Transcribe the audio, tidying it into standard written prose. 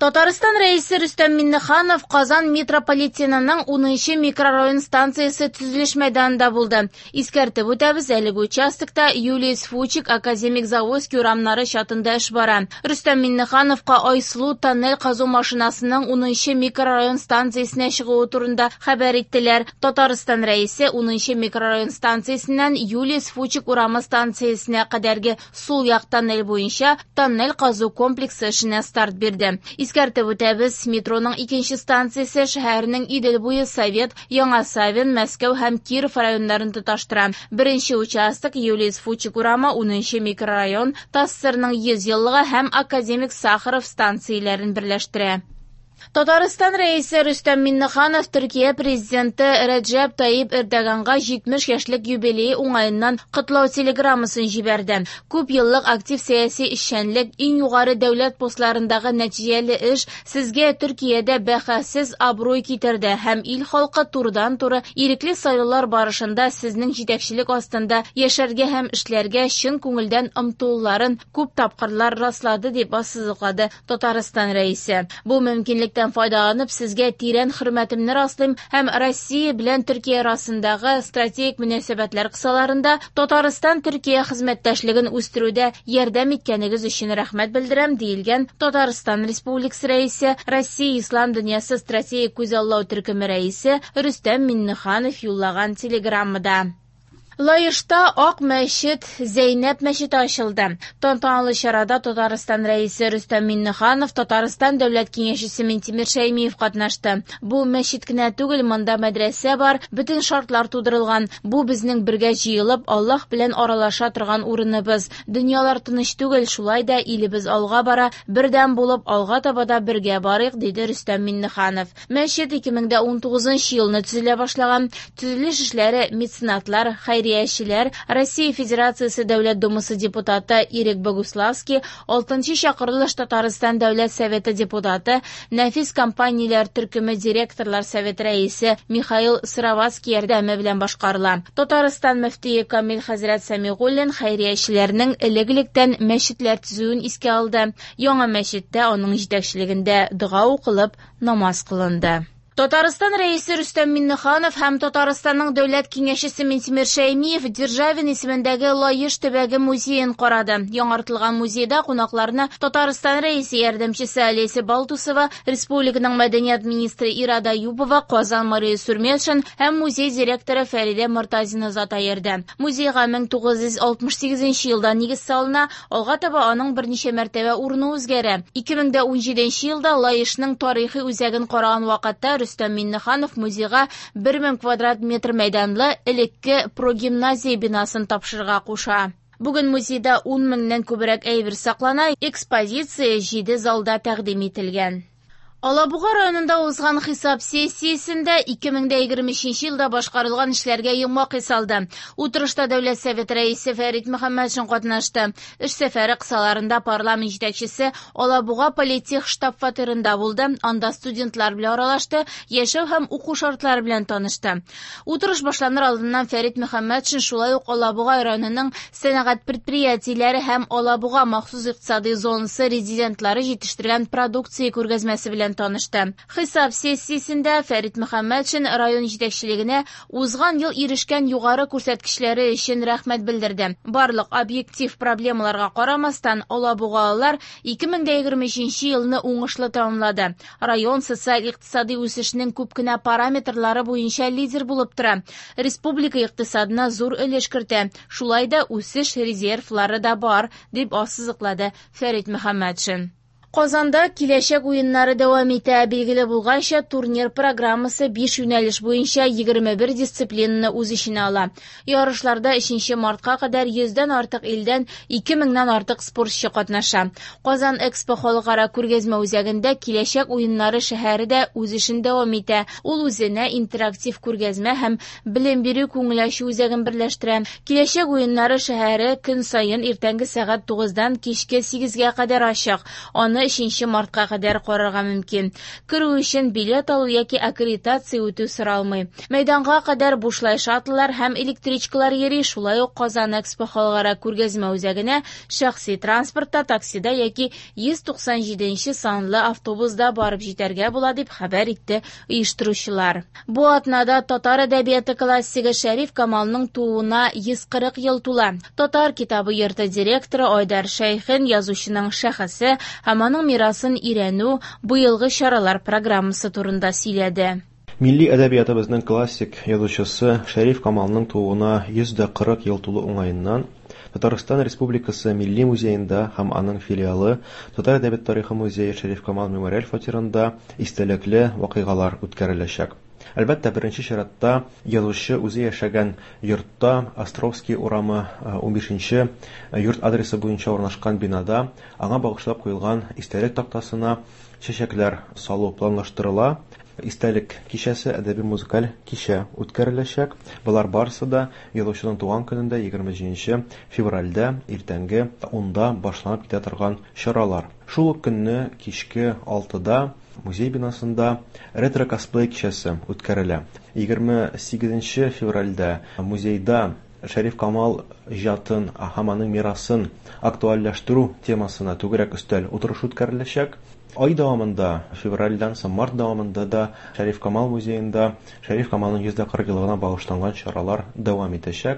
Татарстан Рәисе Рөстәм Миңнеханов Казан метрополитенының 10 микрорайон станциясе төзелеш мәйданында булды. Искәртеп үтәбез, әлеге участокта Юлиус Фучик, Академик Завойский урамнары чатында эш бара. Рөстәм Миңнехановка Айсылу тоннель казу машинасының 10 микрорайон станциясенә чыгуы турында хәбәр иттеләр. Татарстан Рәисе 10 микрорайон станциясеннән Юлиус Фучик урамы станциясенә кадәрге сул як тоннель буенча тоннель казу комплексы эшенә старт бирде. Искәртеп үтәбез, метроның икенче станциясе шәһәрнең Идел буе, Совет, Яңа Савин, Мәскәү һәм Киров районнарын тоташтыра. Беренче участок Юлиус Фучик урамы 10 микрорайон, ТАССРның 100 еллыгы һәм Академик Сахаров станцияләрен берләштерә. Татарстан Рәисе Рөстәм Миңнеханов Төркия президенты Рәҗәп Тайип Эрдоганга 70 яшьлек юбилее уңаеннан котлау телеграммасын җибәрде. Күп еллык актив сәяси эшчәнлек, иң югары дәүләт постларындагы нәтиҗәле эш сезгә Төркиядә бәхәссез абруй китерде һәм ил халкы турыдан-туры ирекле сайлаулар барышында сезнең җитәкчелек астында яшәргә һәм эшләргә чын күңелдән омтылуларын күп тапкырлар раслады, дип ассызыклады Татарстан Рәисе. Бу мөмкинлектән файдаланып, сезгә тирән хөрмәтемне раслыйм һәм Россия белән Төркия арасындагы стратегик мөнәсәбәтләр кысаларында Татарстан-Төркия хезмәттәшлеген үстерүдә ярдәм иткәнегез өчен рәхмәт белдерәм, диелгән Татарстан Республикасы Рәисе, Россия Ислам дөньясы стратегик күзаллау төркеме рәисе Рөстәм Миңнеханов юллаган телеграммада. Лаешта Ак мәчет, Зәйнәб мәчете ачылды. Тантаналы чарада Татарстан Рәисе Рөстәм Миңнеханов, Татарстан Дәүләт Киңәшчесе Минтимер Шәймиев катнашты. Бу мәчет кенә түгел, монда мәдрәсә бар, бөтен шартлар тудырылган. Бу безнең бергә җыелып, Аллаһ белән аралаша торган урыныбыз. Дөньялар тыныч түгел, шулай да илебез алга бара, бердәм булып, алга таба да бергә барыйк, диде Рөстәм Миңнеханов. Мәчет 2019 елны төзелә башлаган. Төзелеш эшләре меценатлар, хәйриячеләр, Россия Федерациясе Дәүләт Думасы депутаты Ирек Богуславский, 6 чакырылыш Татарстан Дәүләт Советы депутаты, Нәфис компанияләр төркеме директорлар советы рәисе Михаил Сыроватский ярдәме белән башкарыла. Татарстан мөфтие Камил хәзрәт Сәмигуллин хәйриячеләрнең элек-электән мәчетләр төзүен искә алды. Яңа мәчеттә аның җитәкчелегендә дога укылып, намаз кылынды. Татарстан Рәисе Рөстәм Миңнеханов һәм Татарстанның Дәүләт Киңәшчесе Минтимер Шәймиев Державин исемендәге Лаеш төбәге музеен карады. Яңартылган музейда кунакларны Татарстан Рәисе ярдәмчесе Олеся Балтусова, республиканың мәдәният министры Ирада Юпова, Казан мэры Сурметшин һәм музей директоры Фәридә Мортазина озата йөрде. Музейга 1968 елда нигез салына, алга таба аның берничә мәртәбә урыны үзгәрә. 2017 елда Лаешның тарихи үзәген караган вакытта Рөстәм Миңнеханов музейга 1000 квадрат метр мәйданлы элекке прогимназия бинасын тапшырырга куша. Бүген музейда 10 меңнән күбрәк әйбер саклана, экспозиция 7 залда тәкъдим ителгән. Алабуга районында узган хисап сессиясендә 2023 елда башкарылган эшләргә йомгак ясалды. Утырышта Дәүләт Советы рәисе Фәрит Мөхәммәтшин катнашты. Эш сәфәре кысаларында парламент җитәкчесе Алабуга политех штаб-фатирында булды. Анда студентлар белән аралашты, яшәү һәм уку шартлары белән танышты. Утырыш башланыр алдыннан Фәрит Мөхәммәтшин шулай ук Алабуга районының сәнәгать предприятиеләре һәм Алабуга махсус икътисади зонасы резидентлары җитештергән продукция күргәзмәсе белән танышты. Хисап сессиясендә Фәрит Мөхәммәтшин район җитәкчелегенә узган ел ирешкән югары күрсәткечләре өчен рәхмәт белдерде. Барлык объектив проблемаларга карамастан, алабугалылар 2023 елны уңышлы тәмамлады. Район социаль-икътисади үсешнең күп кенә параметрлары буенча лидер булып тора. Республика икътисадына зур өлеш кертә. Шулай да үсеш резервлары да бар, дип ассызыклады Фәрит Мөхәммәтшин. Казанда киләчәк уеннары дәвам итә. Билгеле булганча, турнир программасы 5 юнәлеш буенча 21 дисциплинаны үз эченә ала. Ярышларда 3 мартка кадәр 100дән артык илдән 2000ннән артык спортчы катнаша. Казан Экспо халыкара күргәзмә үзәгендә киләчәк уеннары шәһәре дә үз эшен дәвам итә. Ул үзенә интерактив күргәзмә һәм белем бирү күңел ачу үзәген берләштерә. Киләчәк уеннары шәһәре көн саен иртәнге сәгать 9-дан кичке 8-гә кадәр ачык. Аны Аны 3 мартка кадәр карарга мөмкин. Керү өчен билет алу яки аккредитация үтү соралмый. Мәйданга кадәр бушлай шаттлар һәм электричкалар йөри, шулай ук Казан Экспо халыкара күргәзмә үзәгенә шәхси транспортта, таксида яки 197 санлы автобуста барып җитәргә була, дип хәбәр итте оештыручылар. Бу атнада татар әдәбияты классигы Шәриф Камалның тууына 140 ел тула. Татар китабы йорты директоры Айдар Шәйхин язучының шәхесе һәм аның мирасын өйрәнү, быелгы чаралар программасы турында сөйләде. Милли әдәбиятыбызның классик язучысы Шәриф Камалның тууына 140 ел тулу уңаеннан Татарстан Республикасы Милли музеенда һәм аның филиалы Татар әдәбият тарихы музее Шәриф Камал мемориаль фатирында истәлекле вакыйгалар үткәреләчәк. Әлбәттә, беренче чиратта язучы үзе яшәгән йортта, Островский урамы 15 йорт адресы буенча урнашкан бинада аңа багышлап куелган истәлек тактасына чәчәкләр салу планлаштырыла. Истәлек кичәсе, әдәби-музыкаль кичә үткәреләчәк. Болар барысы да язучының туган көнендә 27 февральдә иртәнге 10-да башланып китә торган чаралар. Шул ук көнне кичке 6-да музей бинасында ретро-косплей кичәсе үткәрелә. 28 февральдә музейда Шәриф Камал иҗатын һәм аның мирасын актуальләштерү темасына түгәрәк өстәл утырышы үткәреләчәк. Ай дәвамында, февральдән соң март дәвамында да Шәриф Камал музеенда Шәриф Камалның 140 еллыгына багышланган чаралар дәвам итәчәк.